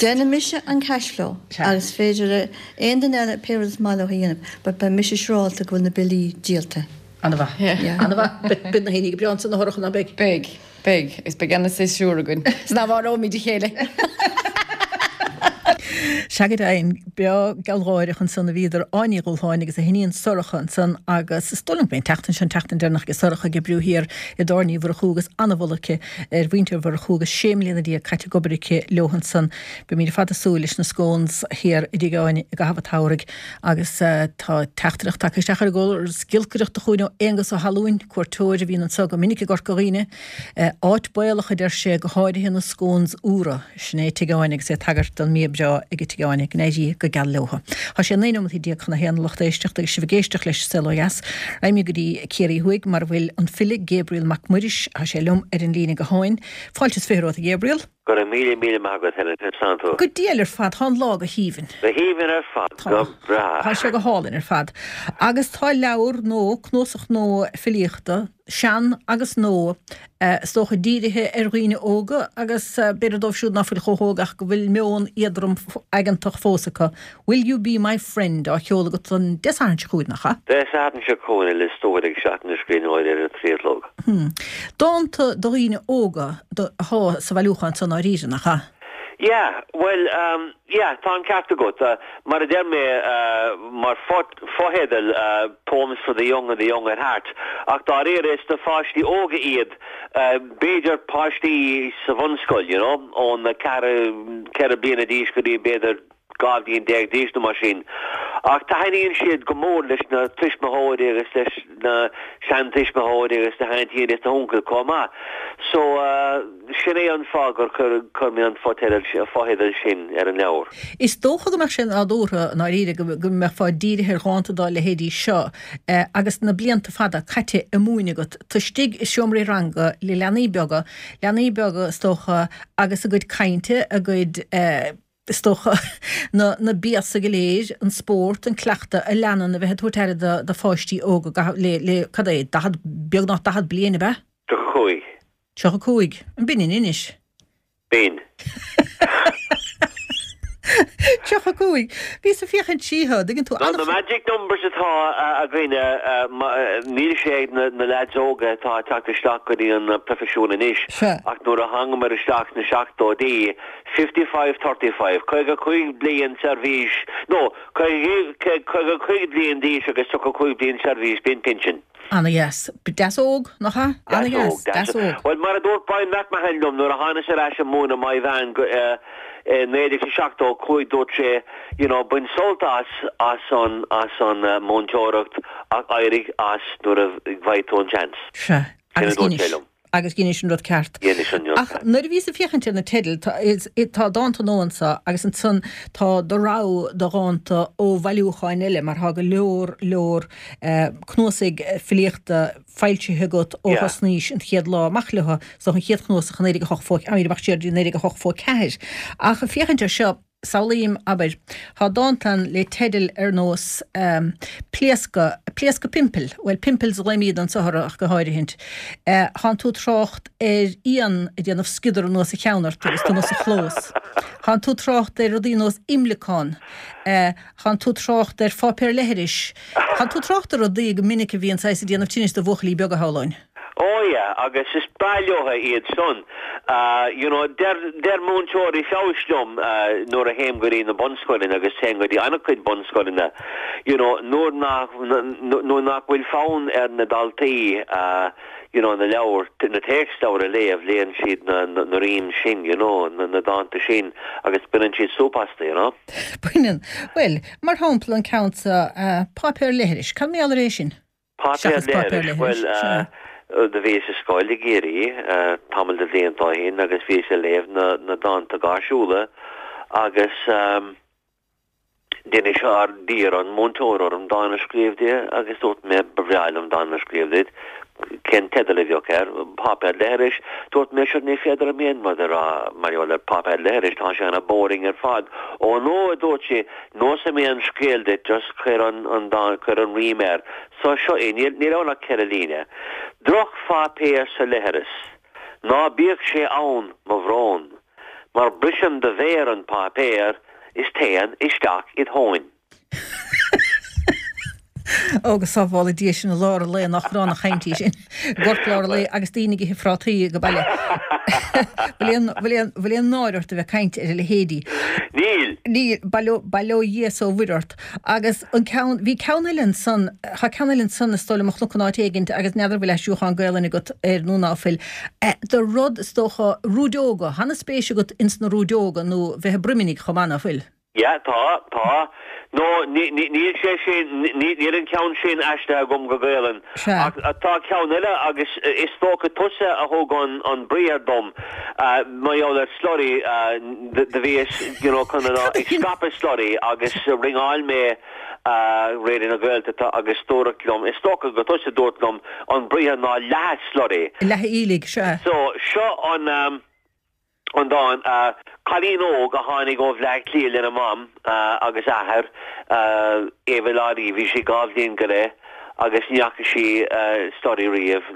C: Déanfaidh mise an cash flow agus féidir le aon duine eile pé rud is maith leo a dhéanamh, but beidh mise siúrálta go bhfuil na billí díolta.
A: Ana-mhaith. Ana-mhaith. Beidh na haoinní go breá ansan a Shorcha, ná beidh?
D: Beidh. Beidh. Agus beidh ana-séasúr againn. Is ná mharóimid a chéile.
A: Sea go deimhin, breá gealgháireach ansan a bhíodar, Áine Ní Dhubhshláine agus a hiníon Sorcha ansan agus is dóigh liom go mbeidh an tseachtain seo an tseachtain deireanach ag Sorcha ag oibriú thiar i dTábhairne Uí Mhurchú agus an-mholadh aici ar mhuintir Mhurchú agus 16 mbliana caite ag obair aici leo ansan. Beimid ar fad ag súil leis na scones thiar i dTigh Áine i gcaitheamh an tsamhraidh agus tá teachtaireacht tagtha isteach ar an gcóras giolcaireachta chugainn ó Aonghus Ó hAllúin, cuairteoir a bhíonn anseo go minic i gCorca Dhuibhne. Áit baolach a deir sé, go háirithe na scones úra. Sin é Tigh Áine agus é ag tagairt don mbia breá ag Tigh Áine. Go n-éirí go geal leotha. Tá sé 19 nóimeataí chun a haon a lucht éisteachta agus sibh ag éisteacht leis Saol Ó Dheas. Raghaimid go dtí Ciarraí Thuaidh mar a bhfuil an file Gabriel Mac Muiris. Tá sé liom ar an líne gutháin. Fáilte is 20 romhat a Ghabriel.
E: Go raibh míle míle maith agat Helen, conas tánn tú?
A: Go diail ar fad, tá an lá go haoibhinn.
E: Go haoibhinn ar fad,
A: go breá. Tá sé go hálainn ar fad. Agus tá leabhar nua, cnuasach nua filíochta, sean agus nua, is dócha, dírithe ar dhaoine óga agus b'fhéidir dóibh siúd ná fuil chomh hóg ach go bhfuil meon éadrom aigeantach fós acu. Will You Be My Friend á sheoladh agat an Dé Sathairn seo chugainn, nach
E: ea? Dé Sathairn seo chugainn i Lios Tuathail ag Seachtain na Scríbhneoirí ar a trí a chlog.
A: Dánta do dhaoine óga atá sa bhailiúchán seo i ndáiríre, nach ea?
E: Yeah, bhuel, yeah, tá an ceart agat. Mar a deir mé, mar fotheideal, Poems for the Young and the Young at Heart, ach dáiríre is do pháistí óga iad, b'fhéidir páistí sa bhunscoil, you know, ón 4, 4 bliana d'aois go dtí b'fhéidir 12 bhliain d'aois nó mar sin. Ach taitníonn siad go mór leis na tuismitheoirí agus leis na seantuismitheoirí agus na haintíní agus na huncail chomh maith. So, sin é an fáth gur chuir mé an fotheideal sin ar an leabhar.
A: Is dócha go mbeadh sé nádúrtha, i ndáiríre, go mbeifeá dírithe ar dhánta dá leithéidí seo agus na blianta fada caite ag múineadh agat, tú istigh i seomraí ranga le leanaí beaga, leanaí beaga is dócha agus a gcuid cainte, a gcuid. is dócha, na na béasa go léir, an spórt, an cleachtadh a leanann a bheith ag tabhairt aire do do pháistí óga go le le cad é, 40, beagnach 40 bliain, ab
E: ea? 35.
A: 35. An b'in anois?
E: B'in.
A: 35. Bhíos ag féachaint siar, an dtuigeann tú,
E: Bhuel, na magic numbers atá againne, níl sé ag na leaids óga atá ag teacht isteach go dtí an proifisiún anois, ach nuair a thángamar isteach sna seachtóidí, 55 35, 55 bliain seirbhís, nó 55 bliain d'aois agus 35 bliain seirbhís, b'in pinsean.
A: Ana dheas. Deas óg, nach
E: ea? Ana dheas, deas óg. Bhuel, mar a dúirt Brian McMahon liom nuair a thánas ar ais ag múineadh Maigh Mheáin i 1975, dúirt sé, you know, bain sult as, as an, as an múinteoireacht ach éirigh as nuair a bhfaighidh tú an seans.
A: Sea. Sin a dúirt sé liom. Agus dheinis an rud ceart.
E: Dheinis an rud
A: ceart. Ach nuair a bhíos ag féachaint ar na teidil, tá dánta nua anso agus ansan tá do rogha de dhánta ó bhailiúcháin eile mar tá go leor leor cnuasaigh filíochta foilsithe agat ó thosnaís an chéad lá amach leo, so an chéad chnuasach i 1908, amach siar go dtí 1984. Ach ag féachaint ar seo, Samhlaím, abair, tá dánta ann le teidil ar nós Pléascadh, Pléascadh Pimple, bhuel pimples a ghlaoimíd anso orthu ach go háirithint. Tánn tú ag trácht ar éan ag déanamh sciodar anuas a cheann ort agus tú amuigh sa chlós. Tánn tú ag trácht ar rudaí nós imleacán. Tánn tú ag trácht ar pháipéar leithris. Tánn tú ag trácht ar rudaí go minic a bhíonn saghas ag déanamh tinnis do bhuachaillí beaga, shamhlóinn.
E: Oh yeah, agus is breá leotha iad san. You know, deir, deir múinteoirí feabhais liom nuair a théim go dtí na bunscoileanna agus téim go dtí an-chuid bunscoileanna, you know, nuair nach, nuair nach bhfuil fonn ar na daltaí you know, na leabhair, na téacsleabhair a léamh, léann siad na, na, na rhymes sin, you know, na, na dánta sin agus baineann siad súp astu, you know.
A: Baineann. Bhuel, mar shampla an ceann seo, Páipéar Leithris, cad mar gheall ar é sin?
E: Páipéar leithris, bhuel, do bhíos i scoil i gCiarraí tamall de bhlianta ó shin agus bhíos ag léamh na dánta gáirsiúla agus d'inis, d'iarr an múinteoir orm dán a scríobh di agus dúirt mé, ba bhreá liom dán a scríobh duit, cén teideal a bheadh air? Páipéar leithris. Dúirt mé, sure ní féidir liom aon rud a rá mar gheall ar pháipéar leithris, tá sé ana boring ar fad. Ó no, a dúirt sí, Neosfaidh mé an scéal duit, just cuir an, an dán, cuir an rím air. So, seo é, níl, níl ann ach 4 líne. Drochpháipéar sa leithreas. Ná bíodh sé ann, mo bhrón. Mar briseann do mhéar an páipéar is téann isteach id thóin.
A: Ó, go sábhála Dia sinn i lár an lae, nach gránna chaint í sin. I gCorcaigh lár an lae agus daoine ag ithe phrátaí ag baile. Bhfuil aon náire ort a bheith ag caint ar a leithéidí?
E: Níl.
A: Níl, bail ó, bail ó Dhia is ó Mhuire ort. Agus an ceann, bhí ceann eile ansan, tá ceann eile ansan is dóigh liom a chonac in áit éigint agus n'fheadar bhfuil aistriúchán Gaolainne agat air nó ná fuil. De rud, is dócha, rúideoga, tá ana-spéis agat ins na rúideoga nó bheith ag broimnigh chomh maith, ná fuil?
E: Yeah, tá, tá. No, ní, ní, níl sé sin, ní, níl an ceann sin aistrithe agam go Gaolainn.
A: Sea.
E: Ach tá ceann eile agus is dócha tusa a thug an, an briathar dom, mar gheall ar slurry, do bhíos, you know, chun an, ag scaipeadh slurry agus ringeáil mé Raidió na Gaeltachta agus dúradh liom, is dócha gur tusa a dúirt liom, an briathar ná leathadh slurry.
A: Leathadh aoiligh, sea.
E: So, seo an. an dán, Cailín óg a tháinig ó Bhleá Cliath lena mam agus athair, Eva Lottie, bhí sí 2 bhliain go leith agus ní fhaca sí slurry riamh,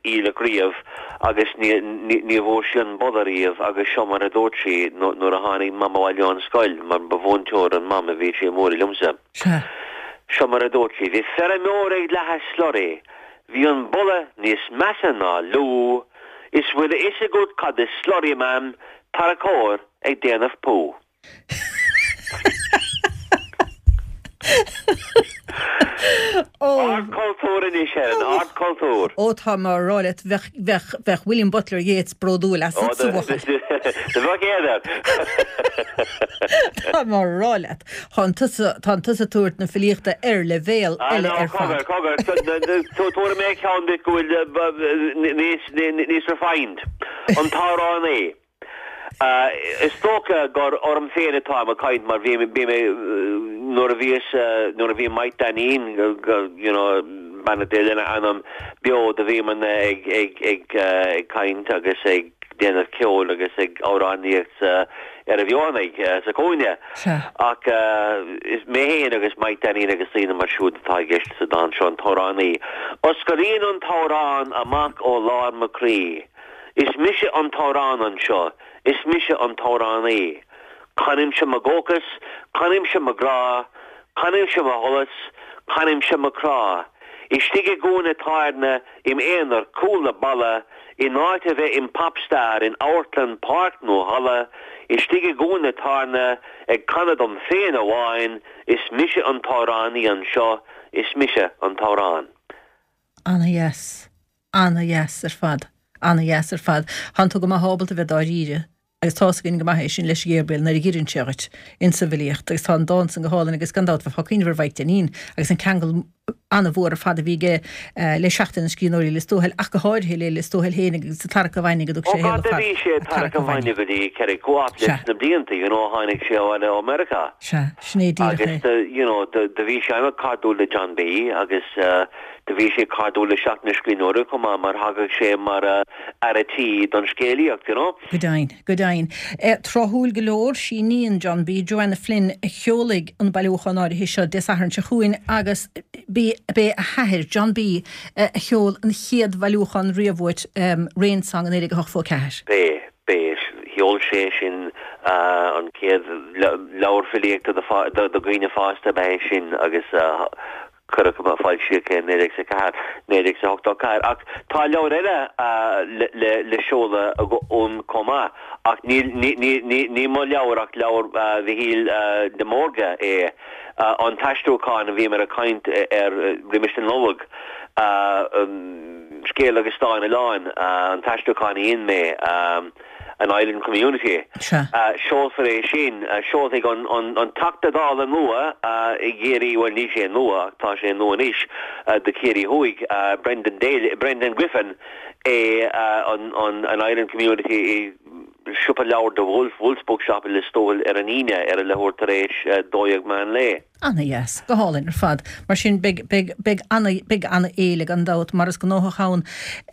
E: aoileach riamh agus ní bhfuair sí an boladh riamh agus seo mar a dúirt sí nuair a tháinig mam abhaile ón scoil, mar ba mhúinteoir an mam a bhí sí ag múineadh liomsa. Seo mar a dúirt sí, Bhí feirmeoir ag leathadh slurry, bhí an boladh níos measa ná liú, Is bhfuil a fhios agat cad is slurry, Mam, tarracóir ag déanamh pú. Ardchultúr anois, Helen, ardchultúr.
A: Ó, tá mé á rá leat, bheadh, bheadh, bheadh William Butler Yeats bródúil asatsa, a bhuachaill.
E: Do bheadh éad air.
A: Tá mé á rá leat. Tánn tusa, tánn tusa ag tabhairt na filíochta ar leibhéal eile ar
E: fad. Cogar, cogar, tabharfaidh mé ceann duit go bhfuil níos, níos refined. An t-amhránaí. Is dócha gur orm féin atáim ag caint mar bhí, bhí mé, nuair a bhíos, nuair a bhí Mike Dainín, you know, beannacht Dé lena anam, beo, do bhíomarna ag, ag, ag, ag caint agus ag déanamh ceoil agus ag amhránaíocht sa, ar an bhFeothanaigh, sa chúinne. Ach is mé féin agus Mike Dainín agus daoine mar siúd atá i gceist sa dán seo, an t-amhránaí. Osclaíonn an t-amhrán amach ó lár mo chroí. Is mise an t-amhrán anseo, is mise an t-amhránaí. Canaimse mo dhóchas, canaimse mo ghrá, canaimse mo sholas, canaimse mo chrá. Istigh i gcúinne tábhairne Im aonar, cúl le balla, in áit a bheith im pop star in amharclann, páirc nó halla, istigh i gcúinne tábhairne, ag canadh dom féin amháin, is mise an t-amhránaí anseo, is mise an t-amhrán.
A: Ana-dheas. Ana-dheas ar fad. Ana-dheas ar fad. Tánn tú go maith ábalta bheith dáiríre. Agus tá's againn go maith é sin leis Gabriel nuair a dh'iarrann sé dhuit insa bhfilíocht agus tá an dán san go hálainn agus gan dabht bheifeá ag cuimhneamh ar Mhaidhc Dainín agus an ceangal ana-mhór ar fad a bhí aige le Seachtain na Scríbhneoirí Lios Tuathail ach go háirithe le Lios Tuathail féin agus an Tarrac an Bhainne go dtug
E: sé a shaol ar fad. Ó bhí sé ag tarrac an bhainne go dtí Kerry Co-op leis na blianta you know tháinig sé abhaile ó Meiriceá.
A: Sea, sin é díreach
E: é. Agus you know do bhí sé an-chairdiúil le John B agus do bhí sé cairdiúil le Seachtain na Scríbhneoirí chomh maith mar thagadh sé mar fhear a' tí don scéalaíocht you know.
A: Go deimhin, go deimhin. Tráthúil go leor, sí iníon John B, Joanna Flynn, a sheolfaidh an bailiúchán áirithe seo Dé Sathairn seo chugainn agus b'é a hathair, John B, a sheol an chéad bhailiúchán riamh uait, Rain Song i 1984.
E: B'é, b'é. Sheol sé sin an chéad leabhar filíochta do dhaoine fásta, ab ea é sin agus Cuireadh amach, foilsíodh é in 1904, 1984. Ach tá leabhar eile le seoladh uaim chomh maith, ach ní mo leabhar ach leabhar Mhichíl de Mórdha é, an t-aistriúchán a bhíomar ag caint air roimis an Nollaig, Scéal agus Dán Oileáin, an t-aistriúchán a dhein mé. an Island Community. Seolfar é sin, seolfaidh an Teachta Dála nua i gCiarraí, bhuel níl sé nua ach tá sé nua anois, do Chiarraí Thuaidh, Brendan Daly, Brendan Griffin é an Island Community i siopa leabhar The Wolf, Wolf's Bookshop i Lios Tuathail ar an Aoine ar a leathuair tar éis 12 meán lae.
A: Ana-dheas. Go hálainn ar fad. Mar sin, beidh, beidh, beidh ana, beidh ana-fhéile gan dabht, mar is gnóthach ann.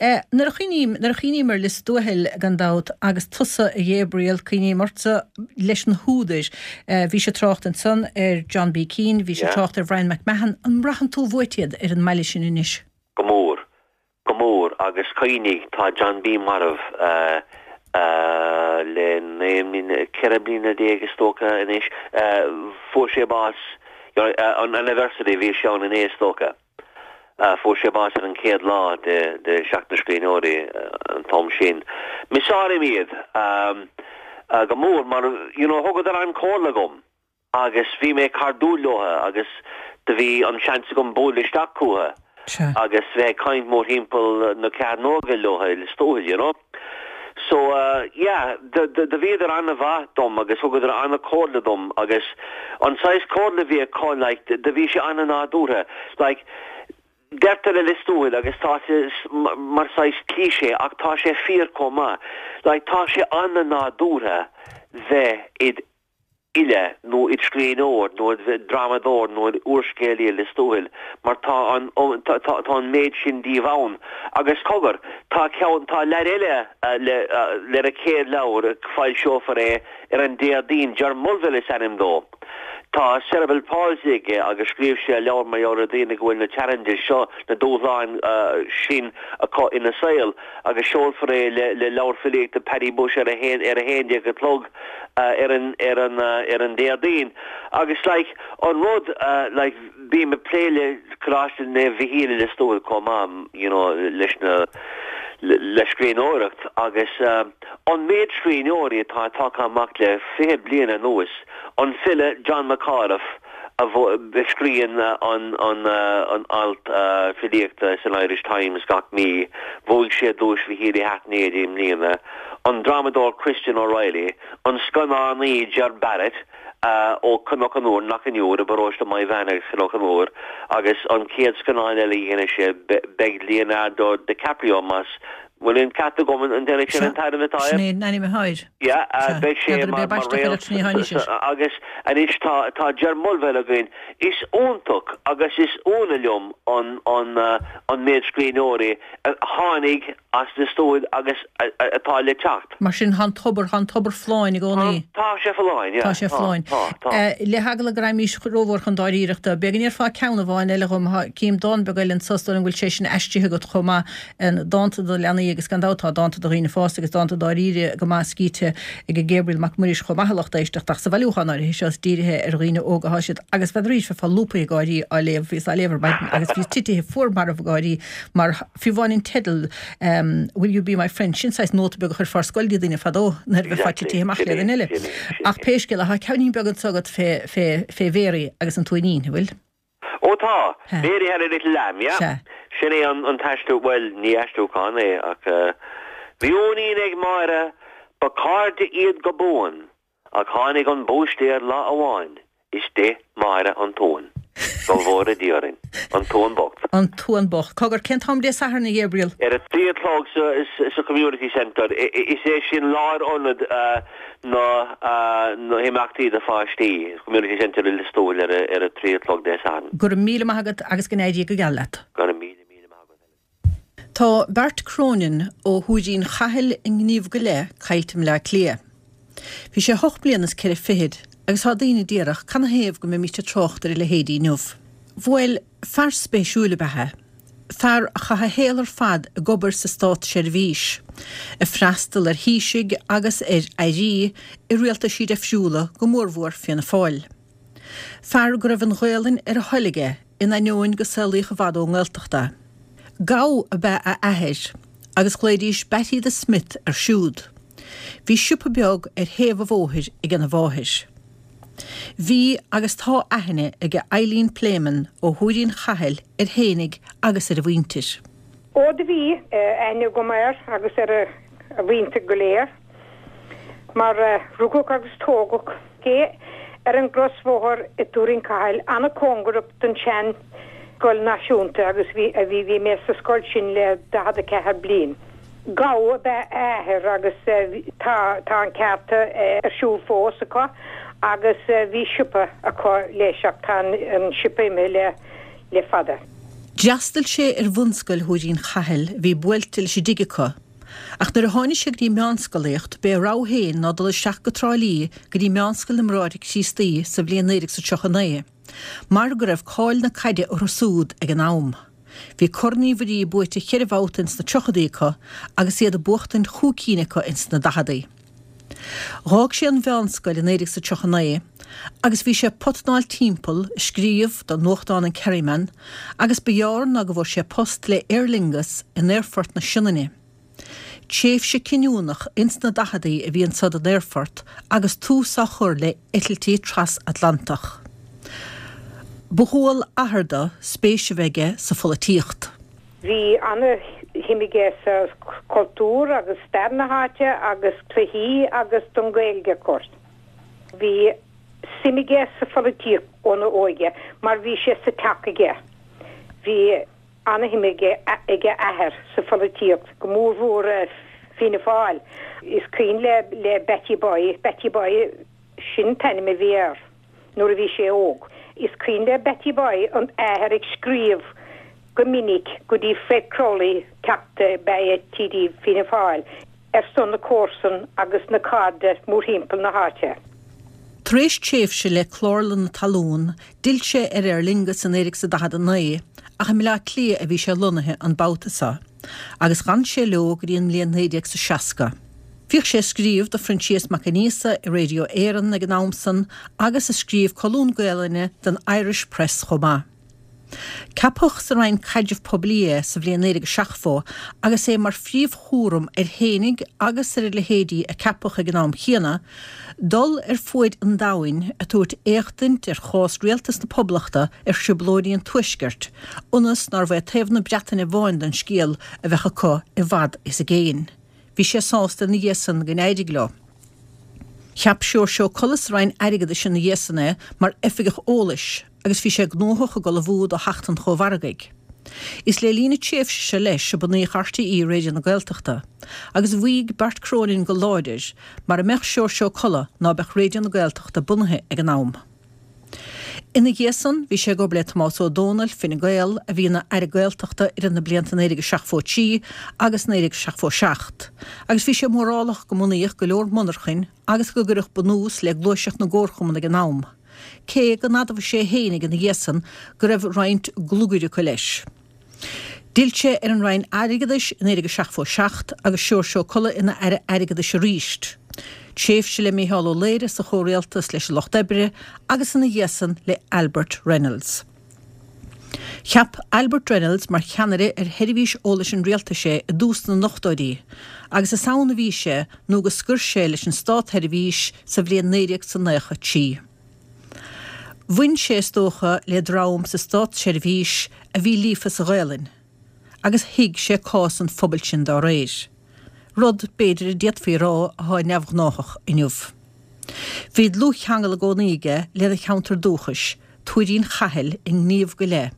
A: Eh, nuair a chuimhním, nuair a chuimhním ar Lios Tuathail gan dabht, agus tusa, a Ghabriel, cuimhním ortsa leis na húdair. Eh, bhís ag trácht ansan ar John B. Keane, bhís ag trácht ar Bhrian McMahon. An mbraitheann tú uait iad ar an mbaile sin anois?
E: Go mór. Go mór, agus cuimhnigh, tá John B. marbh le 19 mbliana, 14 bliana is dócha anois. Fuair sé bás, an anniversary, bhí sé ann inné is dócha. Fuair sé bás ar an chéad lá de Sheachtain na Scríbhneoirí an t-am sin. Miseálaim iad. go mór mar you know thugadar an-chomhairle dhom agus bhí mé cairdiúil leotha agus do bhí an seans agam bualadh isteach chucu agus bheith ag caint mórthimpeall na cearnóige leotha i Lios Tuathail you know. So yeah do do bhíodar an-mhaith dom agus thugadar an-chomhairle dom agus an saghas comhairle a bhí acu like do bhí sé an-nádúrtha like Deirtear i Lios Tuathail, agus tá sé mar saghas cliché ach tá sé fíor chomh maith, like tá sé an-nádúrtha bheith id fhile nó id scríbhneoir nó id dhrámadóir nó id úrscéalaí i Lios Tuathail mar tá an tá tá an méid sin díobh ann. Agus cogar, tá ceann, tá leaid eile le lena chéad leabhar, foilseofar é ar an Déardaoin, Ger Mulville is ainm dó. Tá cerebral palsy aige agus scríobh sé leabhar mar gheall ar daoine go bhfuil na challenges seo, na dúshláin sin acu ina saol agus seolfar é le le leabhar filíochta Paddy Bushe ar a haon ar a haon déag a chlog ar an ar an ar an Déardaoin. Agus like an rud like bím ag plé le Coláiste Naomh Mhichíl i Lios Tuathail chomh maith you know leis na le scríbhneoireacht agus an méid scríbhneoirí atá tagtha amach le 20 bliain anuas An file John McAuliffe a scríonn an alt filíochta san Irish Times gach mí, bhuaigh sé Duais Mhichíl Uí Hairtnéide i mbliana, an drámadóir Christian O'Reilly, an scannánaí Ger Barrett ó Chnoc an Iúir, Knockanure, i bparóiste Maigh Mheáin agus Chnoc an Iúir, agus an chéad scannán eile a dhéanfaidh sé, beidh Leonardo DiCaprio más Bhfuil an ceart agam an ndéanfaidh sin an t-ainm atá air?
A: Sin é an ainm atá air.
E: Yeah, beidh sé mar réalt agus anois tá tá Ger Mulville againn. Is iontach agus is ionadh liom an an an méid scríbhneoirí a tháinig as Lios Tuathail agus atá le teacht.
A: Mar sin tá an tobar, tá an tobar folláin i gcónaí.
E: Tá sé folláin, yeah.
A: Tá sé folláin.
E: Tá, tá.
A: Le heagla go raghaimís rómhór chun dáiríreachta, b'fhéidir go ndéarfá ceann amháin eile dhom, cím dán beag eile anso, is dóigh liom go bhfuil sé sin aistrithe agat chomh maith. Dánta do leanaí agus gan dabht tá dánta do dhaoine fásta agus dánta dáiríre go maith scríte ag Gabriel Mac Muiris chomh maith a lucht éisteachta ach sa bhailiúchán áirithe seo is dírithe ar dhaoine óga atá siad agus bheadh arís bheifeá lúbtha ag gáirí á léamh bhíos á léamh ar maidin agus bhíos titithe fuar marbh ag gáirí mar fiú amháin an teideal Will you be my friend sin saghas nóta beag a chuirfeá ar scoil do dhaoine fadó nuair a bheifeá titithe amach le duine eile ach pé scéal é tá ceainnín beag anso agat fé fé fé Mhéaraí agus an t-uainín, an bhfuil?
E: Ó tá! Mary had a little lamb, yeah.
A: Sea.
E: Sin é an t-aistriú, bhuel, ní aistriúchán é ach eh, Bhí uainín ag Máire, ba cairde iad go buan, ach tháinig an búistéir lá amháin is d'ith Máire an t-uan. Go bhfóire Dia orainn. An t-uan bocht.
A: An t-uan bocht. Cogar, cén t-am Dé Sathairn, a Ghabriel?
E: Ar a 3 a chlog sa Community Centre. Is é sin lárionad na na himeachtaí do pháistí, Community Centre i Lios Tuathail ar a ar a 3 a chlog Dé Sathairn.
A: Go raibh míle maith agat agus go n-éirí go geal leat.
E: Go raibh míle míle maith agat
A: Helen. Tá Bart Cronin ó Thuairín Chathail i ngníomh go leith caillte i mBleá Cliath. Bhí sé hocht mbliana is ceithre fichid agus tá daoine a déarfadh canathaobh go mbeimíst ag trácht ar a leithéidí inniu. Bhuel, fear spéisiúil ab ea é. Fear a chaith a shaol ar fad ag obair sa státseirbhís, ag freastal ar thaoisigh agus ar airí i rialtaisí deifriúla, go mórmhór Fianna Fáil. Fear go raibh an Ghaolainn ar a thoil aige, in ainneoin go saolaíodh i bhfad ón nGaeltacht é. Gabha ab ea a athair agus ghlaoidís Batty the Smith air siúd. Bhí siopa beag ar thaobh an bhóthair agena mháthair. Bhí agus tá aithne aige Eileen Pléimeann ó Thuairín Chathail air fhéinig agus ar a mhuintir.
F: Ó do bhí aithne agam air agus ar a mhuintir go léir mar rugadh agus tógadh é ar an gcrosbhóthar i dTuairín Cathail, an-cóngarach don tsean scoil náisiúnta agus bhí bhí mé sa scoil sin le 44 bliain. Gabha ab ea a athair agus tá tá an ceárta ar siúl fós acu agus bhí siopa acu leis ach tá an siopa imithe le le fada.
A: D'fhreastail sé ar bhunscoil Thuairín Chathail a bhí buailte leis an dtigh acu ach nuair a tháinig sé go dtí meánscolaíocht b'é a rogha féin ná dul isteach go Trá Lí go dtí Meánscoil na mBráithre Críostaí sa bhliain 1939 mar go raibh cáil na caide orthu súd ag an am. Bhí Corn Uí Mhuirí buaite cheithre bhabhta ins na tríochadaí acu agus iad ag buachtaint chúig cinn acu ins na daicheadaí. Dh'fhág sé an mheánscoil i 1939 agus bhí sé ag potnáil timpeall, ag scríobh do nuachtán an Kerryman agus ba ghearr ná go bhfuair sé post le Aer Lingus in aerfort na Sionainne. Tréimhse cinniúnach ins na daicheadaí a bhí anso don aerfort agus tús á chur le eitiltí tras-Atlantach. Ba dhual athar do spéis a bheith aige sa pholaitíocht.
F: Bhí ana-shuim aige sa chultúr agus stair na háite agus cluichí agus don Ghaeilge of course. Bhí suim aige sa pholaitíocht óna óige mar bhí sé sa teach aige. Bhí ana-shuim ag a athair sa pholaitíocht, go mór mhór Fianna Fáil. Is cuimhin le le Batty Boy, Batty Boy sin an t-ainm a bhí air nuair a bhí sé óg. Is cuimhin le Batty Boy an athair ag scríobh go minic go dtí Fred Crowley, Teachta ab ea é TD Fianna Fáil, ar son na comharsan agus na cairde mórthimpeall na háite.
A: Tar éis tréimhse le Clárlann na Talún, d'fhill sé ar Aer Lingus i 1949 ach i mBleá Cliath a bhí sé lonnaithe an babhta seo, agus dh'fhan sé leo go dtí an mbliain 1960. Bhíodh sé ag scríobh do Phroinsias Mac Aonghusa i Radio Éireann ag an am san agus ag scríobh colún Gaelainne don Irish Press chomh maith. Ceapadh sa Roinn Caidrimh Poiblí é sa bhliain 1970 agus é mar phríomhchúram air fhéinig agus ar a leithéidí a ceapadh ag an am chéanna, dul ar fuaid an domhain ag tabhairt éachtaint ar chás Rialtas na Poblachta ar thrioblóidí an Tuaiscirt, ionas nárbh é taobh na Breataine amháin den scéal a bheadh acu i bhfad is i gcéin. Bhí sé sásta ina dhiaidh san go n-éirigh leo. Cheap Seoirse Ó Colla sa Roinn Airgeadais ina dhiaidh san é mar Oifigeach Eolais agus bhí sé gnóthach ag ullmhú do theacht an Chómhargaidh. Is le linn na tréimhse seo leis a bunaíodh RTÉ Raidió na Gaeltachta agus mhaígh Bart Cronin go láidir mara mbeadh Seoirse Ó Colla ná beadh Raidió na Gaeltachta bunaithe ag an am. Ina dhiaidh san bhí sé ag obair le Tomás Ó Dónaill, Fine Gael, a bhí ina Aire Gaeltachta idir na blianta 1973 agus 1977, agus bhí sé mórálach go mbunaíodh go leor monarchain agus go gcuireadh bunús le gluaiseacht na gcomharchumann ag an am, cé go n-admhaigh sé fhéinig ina dhiaidh san go raibh roinnt glugair acu leis. D'fhill sé ar an Roinn Airgeadais i 1977 agus Seoirse Ó Colla ina Aire Airgeadais arís. Tréimhse le Mícheál Ó Laoire sa chomhrialtas leis an Lucht Oibre agus ina dhiaidh san le Albert Reynolds. Cheap Albert Reynolds mar cheannaire ar Sheirbhís Eolais an Rialtais é i dtús na n-ochtóidí agus is ann a bhí sé nó go scoir sé leis an státsheirbhís sa bhliain 1993. Bhain sé, is dócha, le dream sa státseirbhís a bhí líofa sa Ghaelainn, agus thuig sé cás an phobail sin dá réir, rud, b'fhéidir, a d'fhéadfaí a rá atá neamhghnáthach inniu. Bhí dlúthcheangal i gcónaí aige lena cheantar dúchais, Tuairín Chathail, i ngníomh go leith.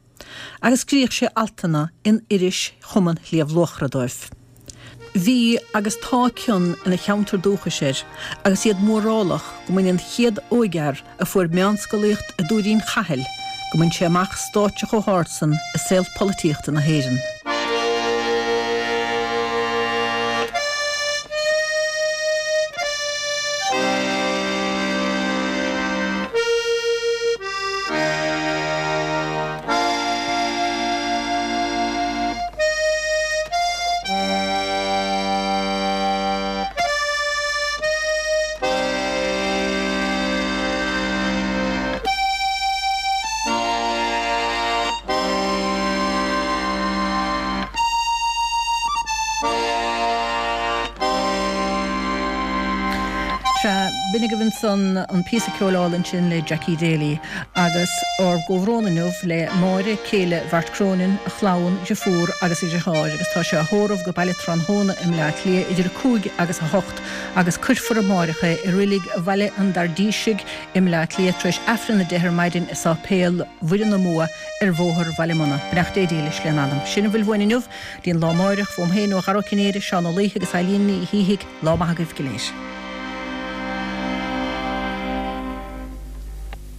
A: agus scríodh sé altanna in iris Chumann Shliabh Luachra dóibh. Bhí agus tá cion ina cheantar dúchais air agus iad mórálach go mbain an chéad óigfhear a fuair meánscolaíocht i dTuairín Chathail, go mbain sé amach stáitse chomh hard san i saol polaitíochta na hÉireann. Sea, b'in agaibh ansan an píosa ceoil álainn sin le Jackie Daly. Agus ár gcomhbhrón inniu le Máire, céile Bhart Cronin, a chlann, a dhriofúr agus a dhriotháir agus tá sé á thórramh go Baile Tráthnóna i mBleá Cliath idir 5 agus 8 agus cuirfear amáireach é i Reilig Bhaile an Dairdísigh i mBleá Cliath tar éis Aifreann 10 ar maidin i Sáipéal Mhuire na mBua ar Bhóthar Bhaile Munna. Beannacht Dé dílis lena anam. Sin a bhfuil uainn inniu. Dtí an lá amáireach, uaim féin, ó Dhara Ó Cinnéide, Seán Ó Laoithe agus Eilín Ní Shíthigh, lá maith agaibh go léir.